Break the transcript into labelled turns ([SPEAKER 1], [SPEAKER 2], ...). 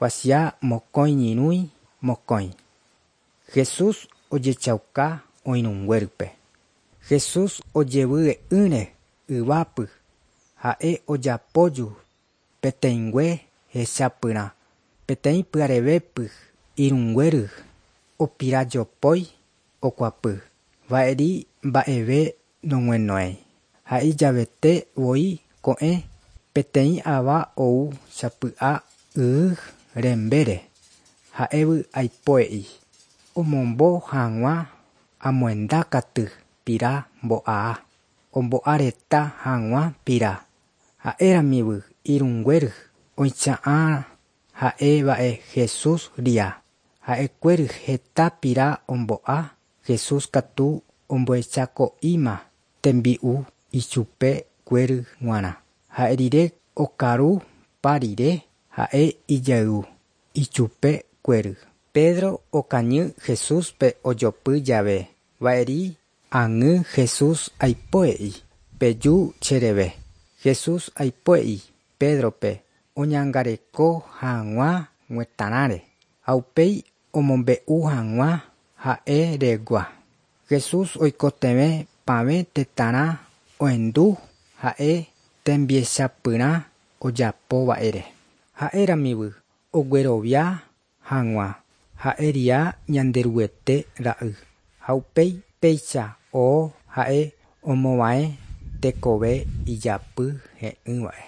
[SPEAKER 1] Kuatia mokõi ñyrũi mokõi. Jesús ojechauka oirũnguérype. Jesús ojevy'ỹre yvápy ha'e ojapóju peteĩngue hechapyrã peteĩ pyharevépy irũnguéry opirajopói okuapy va'eri mba'eve nog̃uenoéi ha ijavete voi ko'ẽ peteĩ ava ou sapy'a y rembére ha'évy aipoe'i omombo hag̃ua amoendakaty pira mbo'a ombo'areta hag̃ua pira ha'éramivy irũnguéry oicha'ã ha'eva'e Jesús ria ha'ekuéry heta pira ombo'a Jesús katu ombohechako'íma tembi'u ichupekuéry g̃uarã ha'e rire okaru pa rire ha'e ijayvu ichupekuéry. Pedro okañy Jesúspe ojopy jave va'eri ag̃y Jesús aipoe'i peju chereve. Jesús aipoe'i Pedrope oñangareko hag̃ua g̃uetarãre ha upéi omombe'u hag̃ua ha'e regua. Jesús oikotevẽ pavẽ tetãrã ohendu ha'e tembiechapyrã ojapova'ere. Ha'éramivy oguerovia hag̃ua ha'eria Ñanderuete ra'y ha upéi péicha oo ha'e omova'ẽ tekove ijapy he'ỹva'e.